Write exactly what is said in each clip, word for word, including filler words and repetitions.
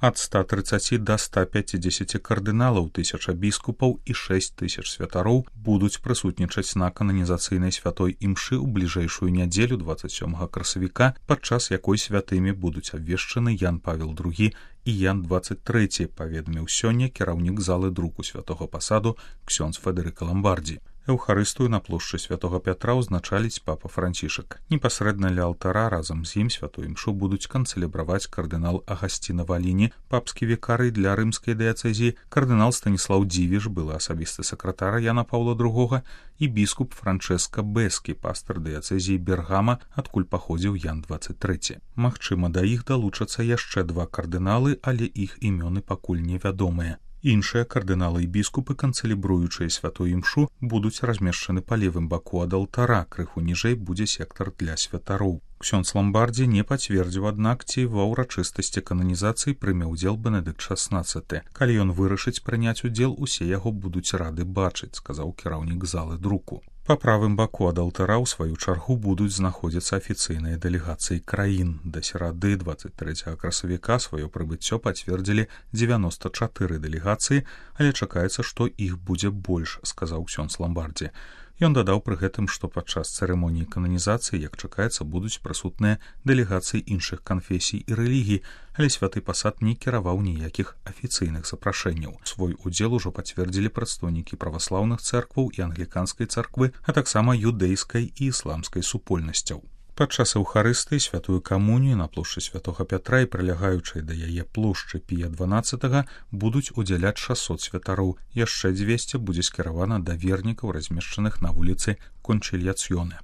Ад ста трыццаці да ста пяцідзесяці кардыналаў, тысяча біскупаў і шэсць тысяч святароў будуць прысутнічаць на кананізацыйнай святой імшы ў бліжэйшую нядзелю дваццаць сёмага красавіка, падчас якой святымі будуць абвешчаны Ян Павел другі і Ян дваццаць трэці, паведаміў сёння кіраўнік залы друку святога пасаду ксёндз Федэрыка Ламбардзі. Эўхарыстыю на плошчы святога Пятра ўзначаліць папа Францішак. Непасрэдна ля алтара разам з ім святую імшу будуць канцэлебраваць кардынал Агасціна Валіні, папскі вікарый для рымскай дыяцэзіі, кардынал Станіслаў Дзівіш, былы асабісты сакратар Яна Паўла другога, і біскуп Франчэска Бэскі, пастар дыяцэзіі Бергама, адкуль паходзіў Ян дваццаць трэці. Магчыма, да іх далучацца яшчэ два кардыналы, але іх імёны пакуль невядомыя. Іншыя кардыналы і біскупы, канцэлебруючыя святую імшу, будуць размешчаны па левым баку ад алтара, крыху ніжэй будзе сектар для святароў. Ксёндз Ламбардзі не пацвердзіў, аднак, ці ва ўрачыстасці кананізацыі прыме ўдзел Бенедыкт шаснаццаты. Калі ён вырашыць прыняць удзел, усе яго будуць рады бачыць, сказаў кіраўнік залы друку. Па правым баку ад алтара ў сваю чаргу будуць знаходзіцца афіцыйныя дэлегацыі краін. Да серады дваццаць трэцяга красавіка сваё прыбыццё пацвердзілі дзевяноста чатыры дэлегацыі, але чакаецца, што іх будзе больш, сказаў ксёндз Ламбардзі. Ён дадаў пры гэтым, што падчас цырымоніі кананізацыі, як чакаецца, будуць прысутныя дэлегацыі іншых канфесій і рэлігій, але святы пасад не кіраваў ніякіх афіцыйных запрашэнняў. Свой удзел ужо пацвердзілі прадстаўнікі праваслаўных цэркваў і англіканскай царквы, а таксама юдэйскай і ісламскай супольнасцяў. Падчас эўхарыстыі святую камунію на плошчы святога Пятра і прылягаючай да яе плошчы Пія дванаццатага будуць удзяляць шасот святароў. Яшчэ дзвесце будзе скіравана да вернікаў, размешчаных на вуліцы Кончильяцьёне.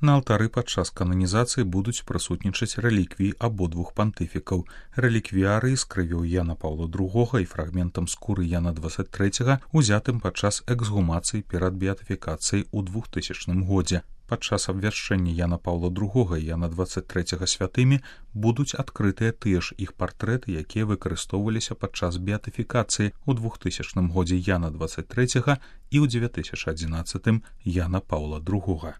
На алтары падчас кананізацыі будуць прысутнічаць рэліквіі абодвух пантыфікаў. Рэліквіяры з крывёй Яна Паўла другога і фрагментам скуры Яна дваццаць трэцяга, узятым падчас эксгумацыі перад беатыфікацыяй у двухтысячным годзе. Падчас абвяшчэння Яна Паўла другога і Яна дваццаць трэцяга святымі будуць адкрытыя тыя ж іх партрэты, якія выкарыстоўваліся падчас беатыфікацыі ў двухтысячным годзе Яна дваццаць трэцяга і ў дзве тысячы адзінаццатым Яна Паўла другога.